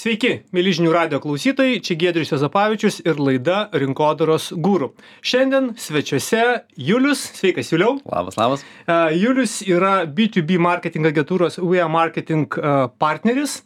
Sveiki, mėly žinių radijo klausytojai, čia Giedrius Juozapavičius ir laida Rinkodaros guru. Šiandien svečiuose Julius. Sveikas, Juliau. Labas. Julius yra B2B marketing agentūros We Are Marketing partneris.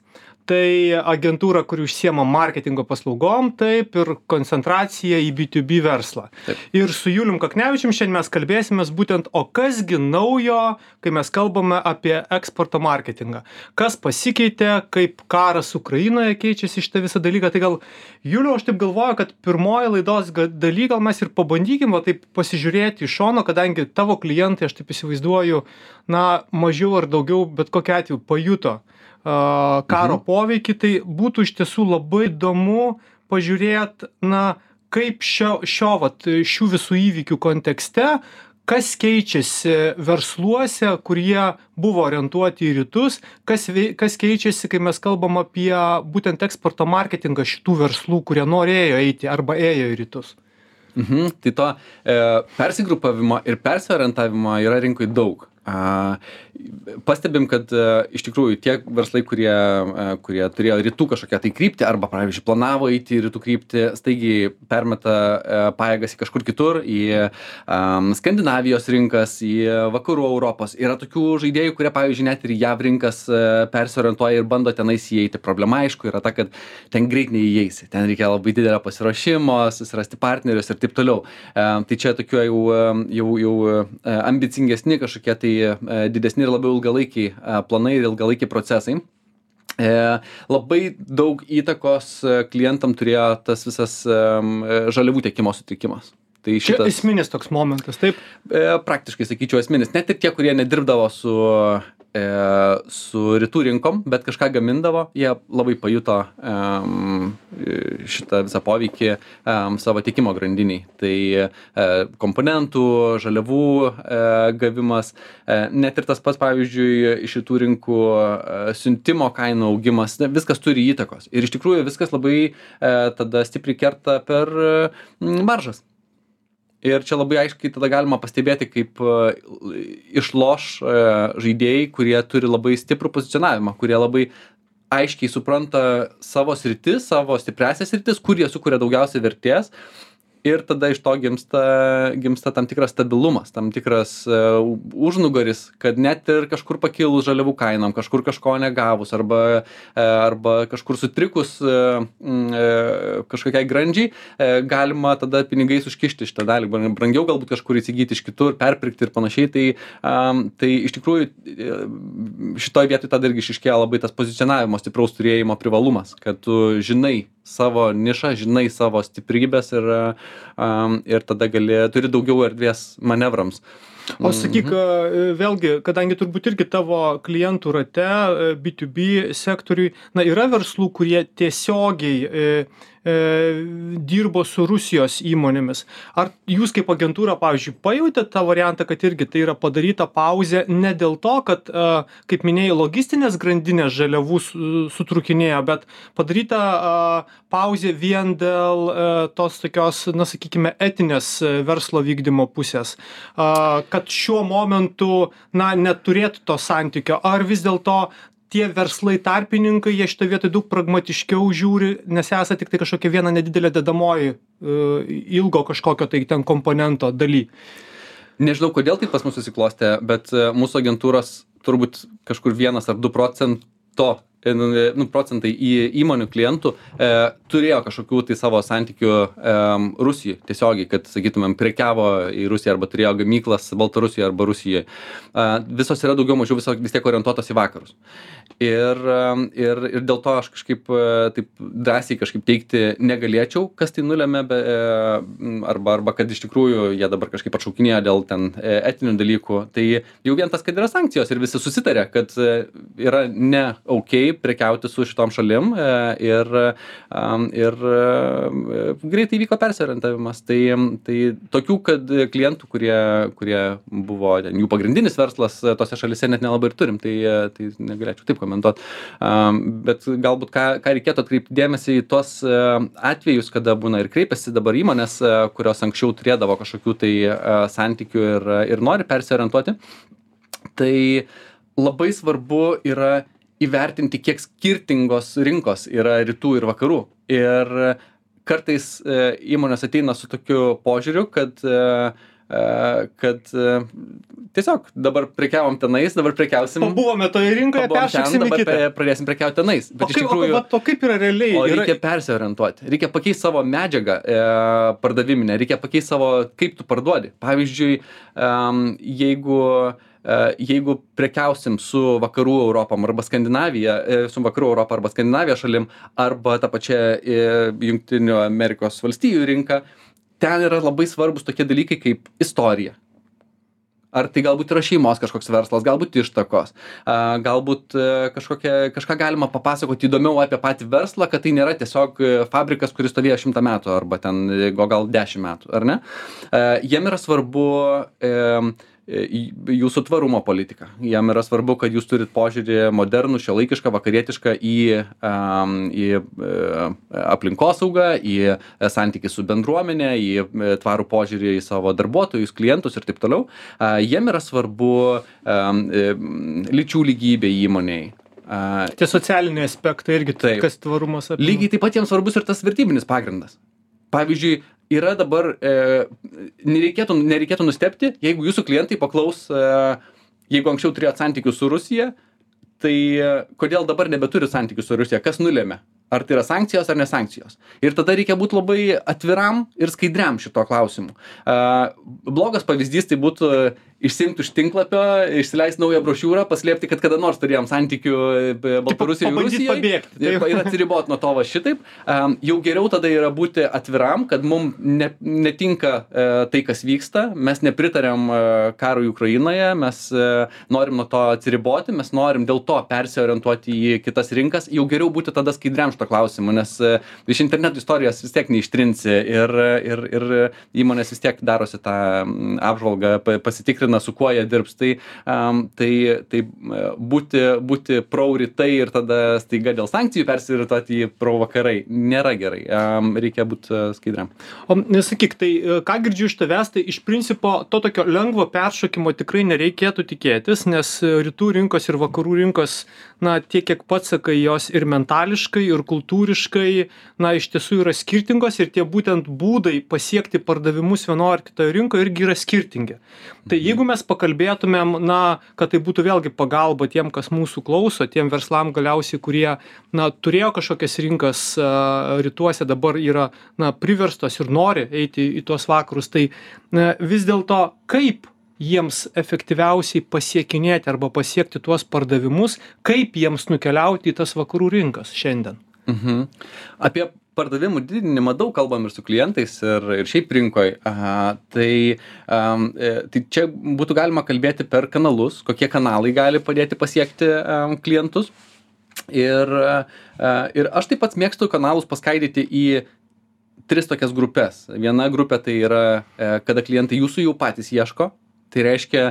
Tai agentūra, kuri užsiema marketingo paslaugom, taip ir koncentracija į B2B verslą. Taip. Ir su Julium Kaknevičium šiandien mes kalbėsimės būtent, o kasgi naujo, kai mes kalbame apie eksporto marketingą. Kas pasikeitė, kaip karas Ukrainoje keičiasi šitą visą dalyką. Tai gal, Juliau, aš taip galvoju, kad pirmoji laidos daly gal mes ir pabandykim taip pasižiūrėti iš šono, kadangi tavo klientai, aš taip įsivaizduoju, mažiau ar daugiau, bet kokiu atveju pajuto karo poveikį, tai būtų iš tiesų labai įdomu pažiūrėti, kaip šių visų įvykių kontekste, kas keičiasi versluose, kurie buvo orientuoti į rytus, kas keičiasi, kai mes kalbam apie būtent eksporto marketingą šitų verslų, kurie norėjo eiti arba ėjo į rytus. Tai to persigrupavimo ir persiorientavimo yra rinkoje daug. Pastebim, kad iš tikrųjų tie verslai, kurie turėjo rytų kažkokią tai kryptį arba, pavyzdžiui, planavo eiti į rytų kryptį, staigiai permeta pajėgas į kažkur kitur, į Skandinavijos rinkas, į vakarų Europos. Yra tokių žaidėjų, kurie, pavyzdžiui, net ir JAV rinkas persiorientuoja ir bando tenais įeiti. Problema, aišku, yra ta, kad ten greit neįeisi. Ten reikia labai didelio pasiruošimo, susirasti partnerius ir taip toliau. Tai čia tokių jau ambicingesni kažkokie tai didesni ir labiau ilgalaikiai planai ir ilgalaikiai procesai. Labai daug įtakos klientam turėjo tas visas žaliavų tiekimo sutrikimas. Tai Čia esminis toks momentas, taip? Praktiškai sakyčiau esminis. Net ir tie, kurie nedirbdavo su rytų rinkom, bet kažką gamindavo, jie labai pajuto šitą visą poveikį savo tiekimo grandiniai. Tai komponentų, žaliavų gavimas, net ir tas pats, pavyzdžiui, iš rytų rinkų siuntimo kainų augimas, viskas turi įtakos. Ir iš tikrųjų viskas labai tada stipriai kerta per maržas. Ir čia labai aiškiai tada galima pastebėti, kaip išloš žaidėjai, kurie turi labai stiprų pozicionavimą, kurie labai aiškiai supranta savo sritis, savo stipriasias sritis, kur jie sukuria daugiausiai vertės. Ir tada iš to gimsta tam tikras stabilumas, tam tikras užnugaris, kad net ir kažkur pakilus žaliavų kainom, kažkur kažko negavus arba kažkur sutrikus kažkokiai grandžiai, galima tada pinigais užkišti šitą dalį, brangiau galbūt kažkur įsigyti iš kitur, perpirkti ir panašiai. Tai iš tikrųjų šitoj vietoj tada irgi išryškėja labai tas pozicionavimo stipraus turėjimo privalumas, kad tu žinai savo nišą, žinai savo stiprybės ir tada turi daugiau erdvės manevrams. O sakyk, vėlgi, kadangi turbūt irgi tavo klientų rate B2B sektoriui, yra verslų, kurie tiesiogiai dirbo su Rusijos įmonėmis. Ar jūs kaip agentūra, pavyzdžiui, pajautėte tą variantą, kad irgi tai yra padaryta pauzė ne dėl to, kad, kaip minėjai, logistinės grandinės žaliavų sutrukinėjo, bet padaryta pauzė vien dėl tos tokios, sakykime, etinės verslo vykdymo pusės, kad šiuo momentu, neturėtų to santykio, ar vis dėlto tie verslai tarpininkai, jie šitą vietą daug pragmatiškiau žiūri, nes esate tik tai kažkokia viena nedidelė dedamoji ilgo kažkokio tai ten komponento daly. Nežinau, kodėl tai pas mus susiklostė, bet mūsų agentūros turbūt kažkur 1 ar 2% procentai į įmonių klientų turėjo kažkokių tai savo santykių Rusijai tiesiogiai, kad, sakytumėm, prekiavo į Rusiją arba turėjo gamyklas Baltarusijoje arba Rusijoje. Visos yra daugiau mažiau vis tiek orientuotos į vakarus. Ir dėl to aš kažkaip taip drąsiai kažkaip teigti negalėčiau, kas tai nulėmė, arba kad iš tikrųjų jie dabar kažkaip atšaukinėjo dėl ten etinių dalykų. Tai jau vien tas, kad yra sankcijos ir visi susitarė, kad yra ne prekiauti su šitom šalim ir greitai vyko persiorientavimas. Tai tokių, kad klientų, kurie buvo jų pagrindinis verslas tose šalise net nelabai ir turim, tai negalėčiau taip komentuoti. Bet galbūt ką reikėtų atkreipti dėmesį į tuos atvejus, kada būna ir kreipiasi dabar įmonės, kurios anksčiau turėdavo kažkokių tai santykių ir nori persiorientuoti. Tai labai svarbu yra įvertinti, kiek skirtingos rinkos yra rytų ir vakarų. Ir kartais įmonės ateina su tokiu požiūriu, kad tiesiog dabar prekiavom tenais, dabar prekiausim. Pabuvome toje rinkoje, peršoksim į kitą. Pradėsim prekiauti tenais. Bet iš tikrųjų, o kaip yra realiai? Reikia persiorientuoti. Reikia pakeisti savo medžiagą pardaviminę, reikia pakeisti savo, kaip tu parduodi. Pavyzdžiui, jeigu prekiausim su vakarų Europom arba Skandinavija, su vakarų Europą arba Skandinavija šalim, arba ta pačia Jungtinių Amerikos valstijų rinka, ten yra labai svarbus tokie dalykai kaip istorija. Ar tai galbūt yra šeimos kažkoks verslas, galbūt ištakos, galbūt kažką galima papasakoti įdomiau apie patį verslą, kad tai nėra tiesiog fabrikas, kuris stovėjo 100 metų arba ten gal 10 metų, ar ne? Jiem yra svarbu jūsų tvarumo politika. Jam yra svarbu, kad jūs turit požiūrį modernų, šiuolaikišką, vakarietišką į aplinkosaugą, į santykį su bendruomenė, į tvarų požiūrį į savo darbuotojus, klientus ir taip toliau. Jiem yra svarbu lyčių lygybė įmonėj. Tie socialiniai aspektai irgi, kas tvarumas apima. Lygiai taip pat jiems svarbus ir tas vertybinis pagrindas. Pavyzdžiui, yra dabar, nereikėtų nustebti, jeigu jūsų klientai paklaus, jeigu anksčiau turėjot santykius su Rusija, tai kodėl dabar nebeturi santykių su Rusija, kas nulėmė? Ar tai yra sankcijos ar nesankcijos? Ir tada reikia būti labai atviram ir skaidriam šito klausimu. Blogas pavyzdys tai būtų išsiimti iš tinklapio, išsileisti naują brošiūrą, paslėpti, kad kada nors turėjom santykių Baltarusijoje ir Rusijoje ir atsiriboti nuo to va šitaip. Jau geriau tada yra būti atviram, kad mums netinka tai, kas vyksta, mes nepritarėm karui Ukrainoje, mes norim nuo to atsiriboti, mes norim dėl to persiorientuoti į kitas rinkas, jau geriau būti tada skaidriam šito klausimu, nes iš interneto istorijos vis tiek neištrinsi ir įmonės vis tiek darosi tą apžvalgą, pasitikrina, su kuo jie dirbs. Tai būti pro rytai ir tada staiga dėl sankcijų persirituoti į pro vakarai nėra gerai. Reikia būti skaidriam. O nesakyk, tai ką girdžiu iš tavęs, tai iš principo to tokio lengvo peršokimo tikrai nereikėtų tikėtis, nes rytų rinkos ir vakarų rinkos, na, tiek kiek pats sakai, jos ir mentališkai, ir kultūriškai, na, iš tiesų yra skirtingos ir tie būtent būdai pasiekti pardavimus vienoje ar kitoje rinkoje irgi yra skirtingi. Tai jeigu mes pakalbėtumėm, na, kad tai būtų vėlgi pagalba tiem, kas mūsų klauso, tiem verslam galiausiai, kurie, na, turėjo kažkokias rinkas rytuose, dabar yra, na, priverstos ir nori eiti į tuos vakarus, tai vis dėlto kaip jiems efektyviausiai pasiekinėti arba pasiekti tuos pardavimus, kaip jiems nukeliauti į tas vakarų rinkas šiandien? Apie pardavimų didinimą daug kalbam ir su klientais ir šiaip rinkoj. Tai čia būtų galima kalbėti per kanalus, kokie kanalai gali padėti pasiekti klientus. Ir aš taip pat mėgstu kanalus paskaidyti į 3 tokias grupės. Viena grupė tai yra, kada klientai jūsų jau patys ieško. Tai reiškia,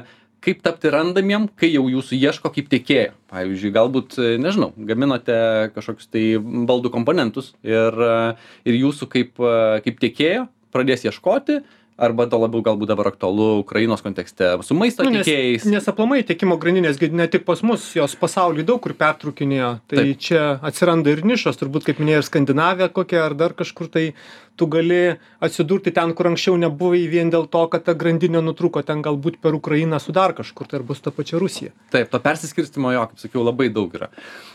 kaip tapti randamiem, kai jau jūsų ieško kaip tiekėjo. Pavyzdžiui, galbūt, nežinau, gaminote kažkokius tai baldų komponentus ir jūsų kaip tiekėjo pradės ieškoti, arba to labiau galbūt dabar aktualu Ukrainos kontekste su maisto tiekėjais. Nes aplamai tiekimo grandinės ne tik pas mus, jos pasaulyje daug kur pertrūkinėjo. Tai taip. Čia atsiranda ir nišos, turbūt kaip minėjai, ir Skandinavija kokia, ar dar kažkur tai tu gali atsidurti ten, kur anksčiau nebuvai vien dėl to, kad ta grandinė nutrūko ten galbūt per Ukrainą su dar kažkur, tai ar bus ta pačia Rusija. Taip, to persiskirstimo kaip sakiau, labai daug yra.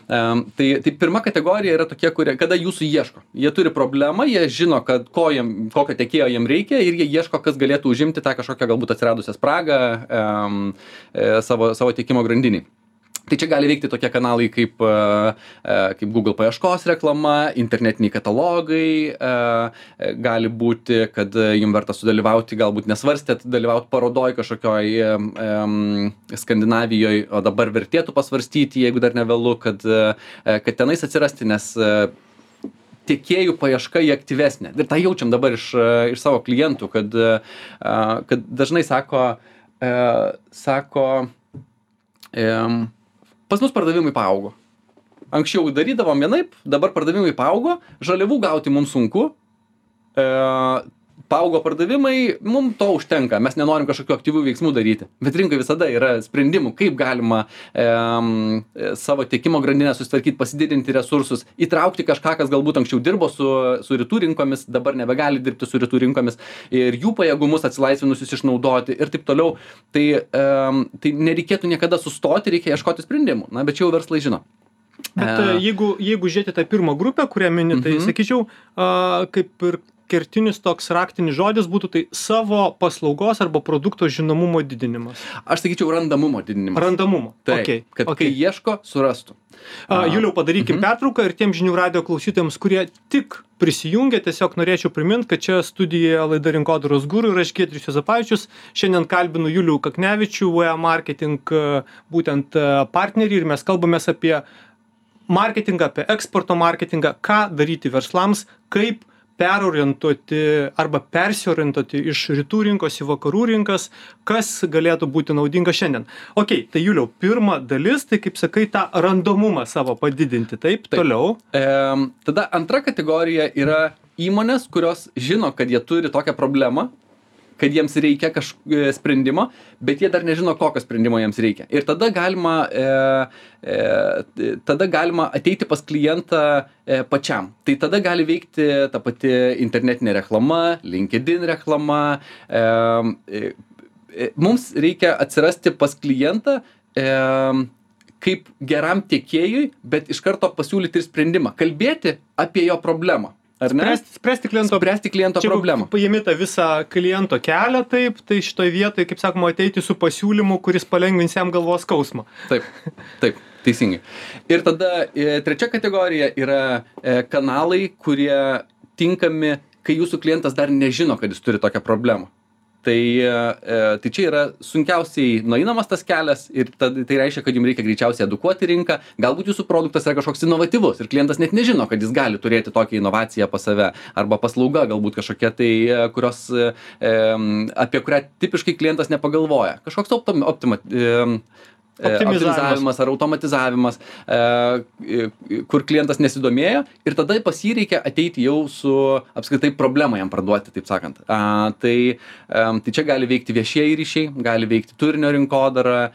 Tai pirma kategorija yra tokie, kada jūsų ieško. Jie turi problemą, jie žino, kad kokio tiekėjo jiem reikia ir jie ieško, kas galėtų užimti tą kažkokią galbūt atsiradusią spragą savo tiekimo grandinį. Tai čia gali veikti tokie kanalai kaip Google paieškos reklama, internetiniai katalogai, gali būti, kad jums verta sudalyvauti, galbūt nesvarstėt dalyvauti parodoj kažkokioj Skandinavijoje, o dabar vertėtų pasvarstyti, jeigu dar nevėlu, kad tenais atsirasti, nes tiekėjų paieška jį aktyvesnė. Ir tą jaučiam dabar iš savo klientų, kad dažnai sako, pas mus pardavimai paaugo. Anksčiau darydavom vienaip, dabar pardavimai paaugo, žaliavų gauti mums sunku, paaugo pardavimai, mums to užtenka, mes nenorim kažkokių aktyvių veiksmų daryti. Bet rinkoje visada yra sprendimų, kaip galima savo tiekimo grandinę susitvarkyti, pasididinti resursus, įtraukti kažką, kas galbūt anksčiau dirbo su rytų rinkomis, dabar nebegali dirbti su rytų rinkomis ir jų pajėgumus atsilaisvinusius išnaudoti ir taip toliau. Tai nereikėtų niekada sustoti, reikia ieškoti sprendimų. Na, bet čia jau verslai žino. Bet jeigu žiūrėti tą pirmą grupę, kurią mini, tai sakyčiau, kaip ir kertinis toks raktinis žodis būtų tai savo paslaugos arba produkto žinomumo didinimas. Aš sakyčiau randamumo didinimas. Randamumo. Taip, Okay. Kai ieško, surastų. Juliau, padarykim pertrauką ir tiem žinių radio klausytojams, kurie tik prisijungia, tiesiog norėčiau priminti, kad čia studijoje laida Rinkodaros guru ir aš Giedrius Juozapavičius. Šiandien kalbinu Julių Kaknevičių, VA Marketing būtent partnerį ir mes kalbamės apie marketingą, apie eksporto marketingą, ką daryti verslams, kaip perorientuoti arba persiorientuoti iš rytų rinkos į vakarų rinkas, kas galėtų būti naudinga šiandien. Ok, tai Juliau, pirma dalis, tai kaip sakai, tą randomumą savo padidinti, taip. Toliau. Tada antra kategorija yra įmonės, kurios žino, kad jie turi tokią problemą, kad jiems reikia sprendimo, bet jie dar nežino, kokio sprendimo jiems reikia. Ir tada galima ateiti pas klientą pačiam. Tai tada gali veikti ta pati internetinė reklama, LinkedIn reklama. Mums reikia atsirasti pas klientą kaip geram tiekėjui, bet iš karto pasiūlyti ir sprendimą. Kalbėti apie jo problemą. Ar ne? Spręsti kliento problemą. Paimi tą visą kliento kelią, taip, tai šitoj vietoj, kaip sakoma, ateiti su pasiūlymu, kuris palengvins jam galvos skausmą. Taip, teisingai. Ir tada trečia kategorija yra kanalai, kurie tinkami, kai jūsų klientas dar nežino, kad jis turi tokią problemą. Tai čia yra sunkiausiai nueinamas tas kelias ir tai reiškia, kad jums reikia greičiausiai edukuoti rinką. Galbūt jūsų produktas yra kažkoks inovatyvus ir klientas net nežino, kad jis gali turėti tokią inovaciją pas save. Arba paslauga galbūt kažkokia tai, apie kurią tipiškai klientas nepagalvoja. Kažkoks optimizavimas ar automatizavimas, kur klientas nesidomėjo ir tada pas jį reikia ateiti jau su apskritai problemą jam parduoti, taip sakant. Tai čia gali veikti viešieji ryšiai, gali veikti turinio rinkodara,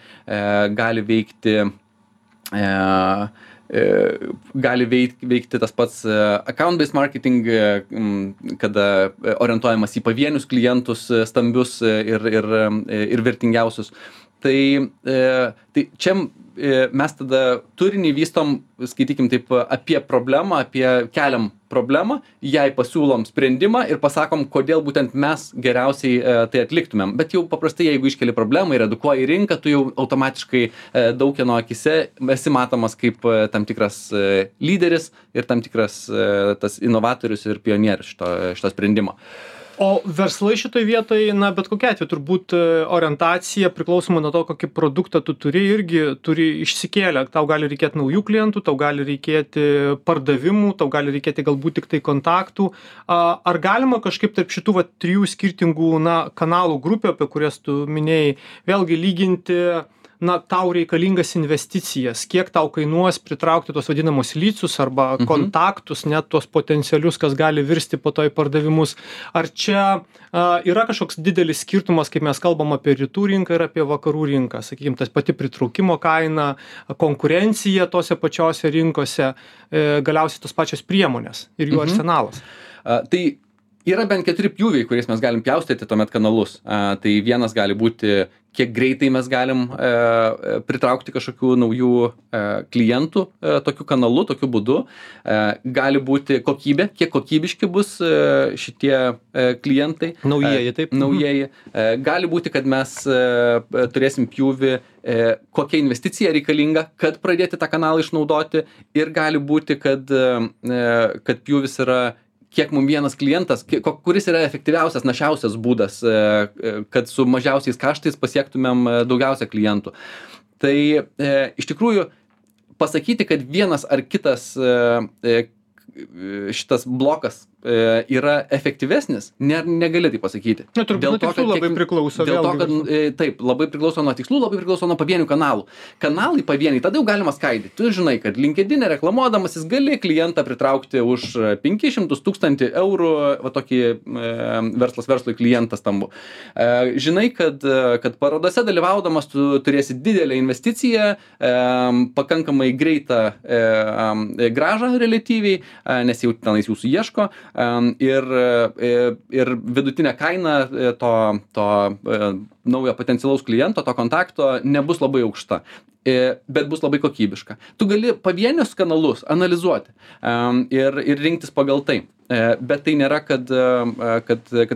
gali veikti tas pats account-based marketing, kada orientuojamas į pavienius klientus, stambius ir vertingiausius. Tai čia mes tada turinį vystom, skaitykim taip, apie problemą, keliam problemą, jai pasiūlom sprendimą ir pasakom, kodėl būtent mes geriausiai tai atliktumėm. Bet jau paprastai, jeigu iškeli problemą ir edukuoji rinką, tu jau automatiškai daug kieno akise esi matomas kaip tam tikras lyderis ir tam tikras tas inovatorius ir pionierius šito sprendimo. O verslai šitoj vietoj, na, bet kokia atveju, turbūt orientacija priklausoma nuo to, kokį produktą tu irgi turi išsikėlę. Tau gali reikėti naujų klientų, tau gali reikėti pardavimų, tau gali reikėti galbūt tik tai kontaktų. Ar galima kažkaip tarp šitų trijų skirtingų, kanalų grupių, apie kurias tu minėjai, vėlgi lyginti, tau reikalingas investicijas, kiek tau kainuos pritraukti tos vadinamos lycus arba kontaktus, net tos potencialius, kas gali virsti po to į pardavimus. Ar čia yra kažkoks didelis skirtumas, kaip mes kalbam apie rytų rinką ir apie vakarų rinką? Sakykime, tas pati pritraukimo kaina, konkurencija tose pačiose rinkose, galiausiai tos pačios priemonės ir jų arsenalas. Tai yra bent 4 pjūviai, kuriais mes galim pjaustyti tuomet kanalus. Tai vienas gali būti, kiek greitai mes galim pritraukti kažkokių naujų klientų tokiu kanalu, tokiu būdu. Gali būti kokybė, kiek kokybiški bus šitie klientai. Naujieji, taip. Naujieji. Gali būti, kad mes turėsim pjūvį, kokia investicija reikalinga, kad pradėti tą kanalą išnaudoti. Ir gali būti, kad pjūvis yra kiek mums vienas klientas, kuris yra efektyviausias, našiausias būdas, kad su mažiausiais kaštais pasiektumėm daugiausia klientų. Tai iš tikrųjų pasakyti, kad vienas ar kitas šitas blokas yra efektyvesnis, negali tai pasakyti. Na, turbūt nuo tikslų labai priklauso. Dėl to, kad taip, labai priklauso nuo tikslų, labai priklauso nuo pavienių kanalų. Kanalai pavieniai, tada jau galima skaidyti. Tu žinai, kad LinkedIn reklamuodamasis gali klientą pritraukti už 500 000 eurų, va tokį verslas verslui klientas tambu. Žinai, kad parodose dalyvaudamas tu turėsi didelę investiciją, pakankamai greitą grąžą relatyviai, nes jau tenais jūsų ieško, ir vidutinė kaina to naujo potencialaus kliento, to kontakto nebus labai aukšta, bet bus labai kokybiška. Tu gali pavienius kanalus analizuoti ir rinktis pagal tai. Bet tai nėra, kad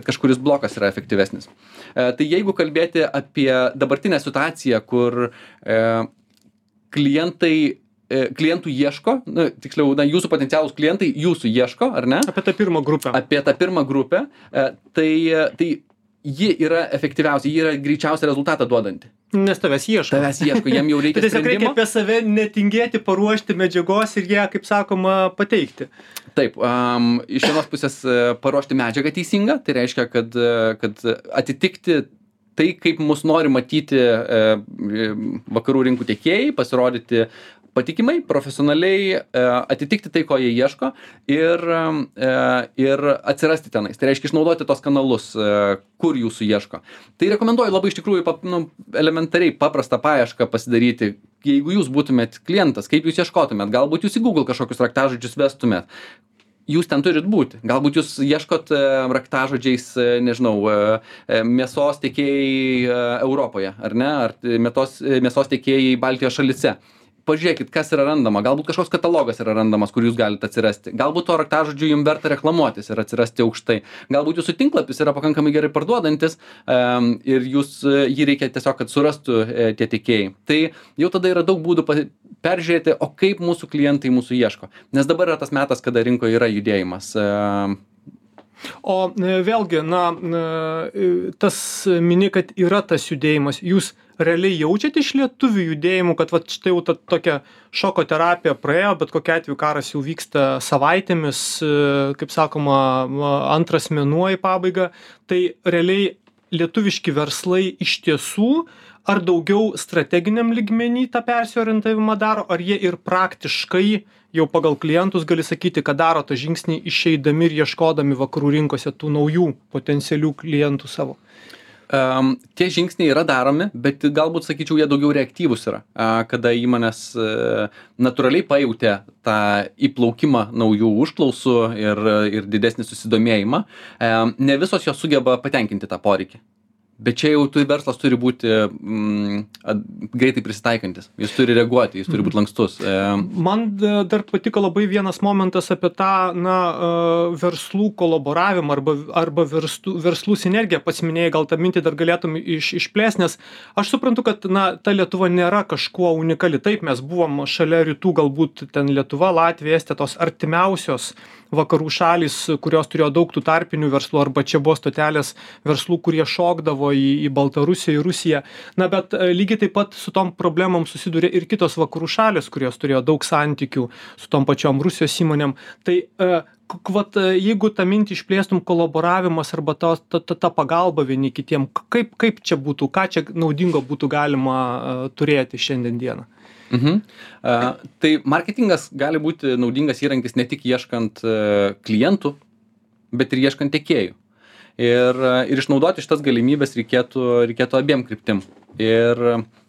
kažkuris blokas yra efektyvesnis. Tai jeigu kalbėti apie dabartinę situaciją, kur klientų ieško, tiksliau, jūsų potencialūs klientai jūsų ieško, ar ne? Apie tą pirmą grupę. Apie tą pirmą grupę, tai ji yra efektyviausia, ji yra greičiausia rezultatą duodanti. Nes tavęs ieško. Jiem jau reikia tiesiog sprendimo. reikia apie save netingėti, paruošti medžiagos ir ją, kaip sakoma, pateikti. Taip, iš vienos pusės paruošti medžiagą teisingą, tai reiškia, kad atitikti tai, kaip mus nori matyti vakarų rinkų tiekėjai, pasirodyti patikimai, profesionaliai, atitikti tai, ko jie ieško ir atsirasti tenais. Tai reiškia išnaudoti tos kanalus, kur jūsų ieško. Tai rekomenduoju labai iš tikrųjų elementariai paprastą paiešką pasidaryti. Jeigu jūs būtumėt klientas, kaip jūs ieškotumėt, galbūt jūs į Google kažkokius raktažodžius vestumėt. Jūs ten turit būti. Galbūt jūs ieškot raktažodžiais, nežinau, mėsos tiekėjai Europoje, ar ne? Ar mėsos tiekėjai Baltijos šalyse. Pažiūrėkit, kas yra randama. Galbūt kažkoks katalogas yra randamas, kur jūs galite atsirasti. Galbūt to raktažodžiu jums verta reklamuotis ir atsirasti aukštai. Galbūt jūsų tinklapis yra pakankamai gerai parduodantis ir jį reikia tiesiog, kad surastų tie tiekėjai. Tai jau tada yra daug būdų peržiūrėti, o kaip mūsų klientai mūsų ieško. Nes dabar yra tas metas, kada rinkoje yra judėjimas. O vėlgi, tas mini, kad yra tas judėjimas. Jūs realiai jaučiate iš lietuvių judėjimų, kad vat štai jau ta tokia šoko terapija praėjo, bet kokiu atveju karas jau vyksta savaitėmis, kaip sakoma, antras mėnuo į pabaigą. Tai realiai lietuviški verslai iš tiesų ar daugiau strateginiam lygmenį tą persiorientavimą daro, ar jie ir praktiškai jau pagal klientus gali sakyti, kad daro tą žingsnį išeidami ir ieškodami vakarų rinkose tų naujų potencialių klientų savo? Tie žingsniai yra daromi, bet galbūt, sakyčiau, jie daugiau reaktyvūs yra, kada įmonės natūraliai pajautė tą įplaukimą naujų užklausų ir didesnį susidomėjimą. Ne visos jos sugeba patenkinti tą poreikį. Bet čia jau verslas turi būti greitai prisitaikantis. Jis turi reaguoti, jis turi būti lankstus. Man dar patiko labai vienas momentas apie tą verslų kolaboravimą arba verslų sinergiją. Pats minėjai, gal tą mintį dar galėtum išplėst, nes aš suprantu, kad ta Lietuva nėra kažkuo unikali. Taip, mes buvom šalia rytų, galbūt ten Lietuva, Latvija, Estija, tos artimiausios vakarų šalys, kurios turėjo daug tų tarpinių verslų, arba čia buvo stotelės verslų, kurie šokdavo į Baltarusiją, į Rusiją. Bet lygiai taip pat su tom problemom susidūrė ir kitos vakarų šalys, kurios turėjo daug santykių su tom pačiom Rusijos įmonėm. Tai jeigu tą mintį išplėstum, kolaboravimas arba ta pagalba vieni kitiem, kaip čia būtų, ką čia naudingo būtų galima turėti šiandien dieną? Tai marketingas gali būti naudingas įrankis ne tik ieškant klientų, bet ir ieškant tiekėjų. Ir išnaudoti šitas galimybės reikėtų abiem kryptim. Ir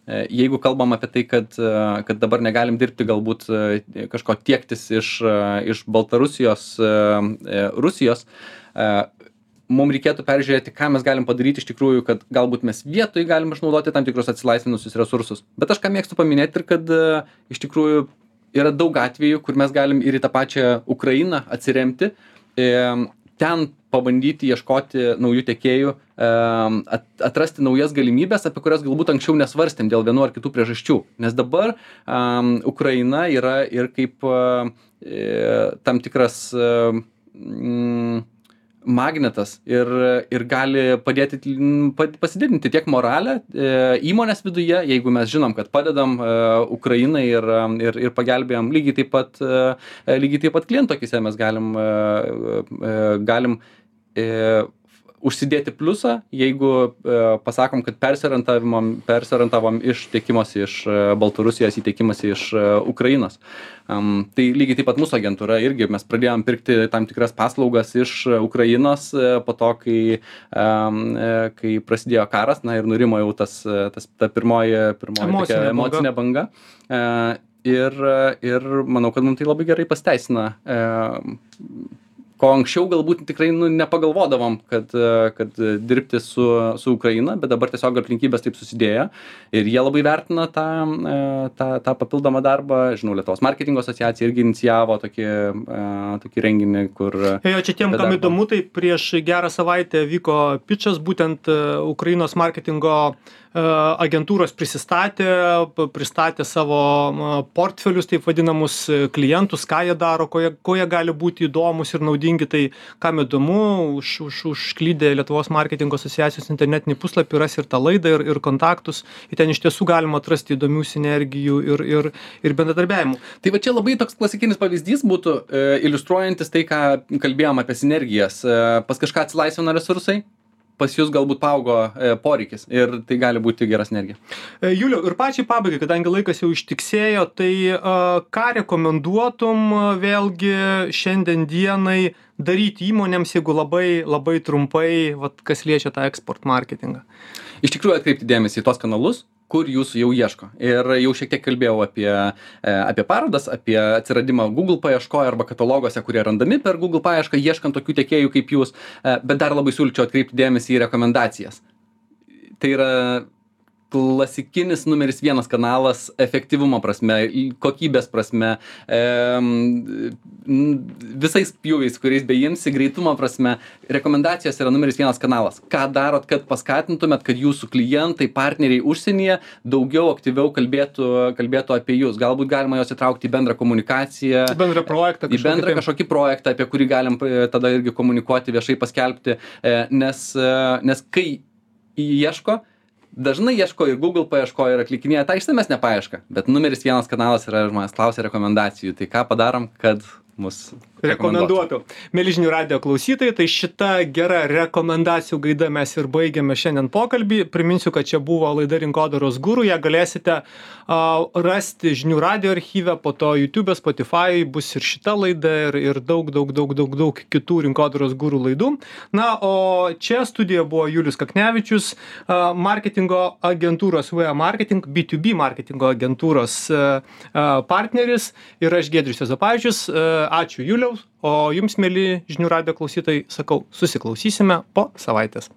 jeigu kalbam apie tai, kad dabar negalim dirbti galbūt kažko tiektis iš Baltarusijos, Rusijos, mums reikėtų peržiūrėti, ką mes galim padaryti iš tikrųjų, kad galbūt mes vietoj galim išnaudoti tam tikrus atsilaisvinusius resursus. Bet aš ką mėgstu paminėti ir kad iš tikrųjų yra daug atvejų, kur mes galim ir į tą pačią Ukrainą atsiremti, ten pabandyti ieškoti naujų tiekėjų, atrasti naujas galimybės, apie kurias galbūt anksčiau nesvarstėm dėl vienų ar kitų priežasčių. Nes dabar Ukraina yra ir kaip tam tikras magnetas ir gali padėti pasididinti tiek moralę įmonės viduje, jeigu mes žinom, kad padedam Ukrainai ir pagelbėjom lygiai taip pat kliento akise mes galim užsidėti pliusą, jeigu pasakom, kad persiorientavom iš tiekimosi iš Baltarusijos į tiekimosi iš Ukrainos. Tai lygiai taip pat mūsų agentūra irgi mes pradėjom pirkti tam tikras paslaugas iš Ukrainos po to, kai prasidėjo karas, ir nurimo jau ta pirmoji tokia emocinė banga. Ir manau, kad mums tai labai gerai pasiteisina. Ko anksčiau galbūt tikrai nepagalvodavom, kad dirbti su Ukraina, bet dabar tiesiog aplinkybės taip susidėjo ir jie labai vertina tą papildomą darbą. Žinau, Lietuvos marketingo asociacija irgi inicijavo tokį renginį, kur... Čia tiem, kam įdomu, tai prieš gerą savaitę vyko pitchas, būtent Ukrainos marketingo agentūros pristatė savo portfelius, taip vadinamus klientus, ką jie daro, ko jie gali būti įdomus ir naudingi. Tai kam įdomu, užklydę Lietuvos marketingo asociacijos internetinį puslapį ras ir tą laidą ir kontaktus. Ir ten iš tiesų galima atrasti įdomių sinergijų ir bendradarbiavimų. Tai va čia labai toks klasikinis pavyzdys būtų, iliustruojantis tai, ką kalbėjom apie sinergijas. Pas kažką atsilaisvina resursai, pas jūs galbūt paaugo poreikis ir tai gali būti gera sinergija. Juliau, ir pačiai pabaigai, kadangi laikas jau ištiksėjo, tai ką rekomenduotum vėlgi šiandien dienai daryti įmonėms, jeigu labai trumpai, kas liečia tą eksport marketingą? Iš tikrųjų atkreipti dėmesį į tos kanalus, kur jūsų jau ieško. Ir jau šiek tiek kalbėjau apie parodas, apie atsiradimą Google paieškoje arba kataloguose, kurie randami per Google paiešką, ieškant tokių tiekėjų kaip jūs, bet dar labai siūlyčiau atkreipti dėmesį į rekomendacijas. Tai yra klasikinis numeris 1 kanalas efektyvumo prasme, kokybės prasme, visais pjūviais, kuriais beimsi, greitumo prasme, rekomendacijos yra numeris 1 kanalas. Ką darot, kad paskatintumėt, kad jūsų klientai, partneriai užsienyje daugiau aktyviau kalbėtų apie jūs. Galbūt galima juos įtraukti į bendrą komunikaciją, bendrą projektą, į bendrą kažkokį projektą, apie kurį galim tada irgi komunikuoti, viešai paskelbti, nes kai ieško, dažnai ieško ir Google paieško ir atlikinėja tą išsamesnę paiešką, bet numeris 1 kanalas yra žmonės klausia rekomendacijų. Tai ką padarom, kad mus rekomenduotų. Mieli žinių radijo klausytojai, tai šita gera rekomendacijų gaida mes ir baigiame šiandien pokalbį. Priminsiu, kad čia buvo laida Rinkodaros guru. Ją galėsite rasti žinių radijo archyve, po to YouTube, Spotify, bus ir šita laida ir daug kitų Rinkodaros guru laidų. Na, o čia studijoje buvo Julius Kaknevičius, marketingo agentūros VA Marketing, B2B marketingo agentūros partneris ir aš Giedrius Juozapavičius. Ačiū Juliaus, o jums, mieli žinių radijo klausytojai, sakau, susiklausysime po savaitės.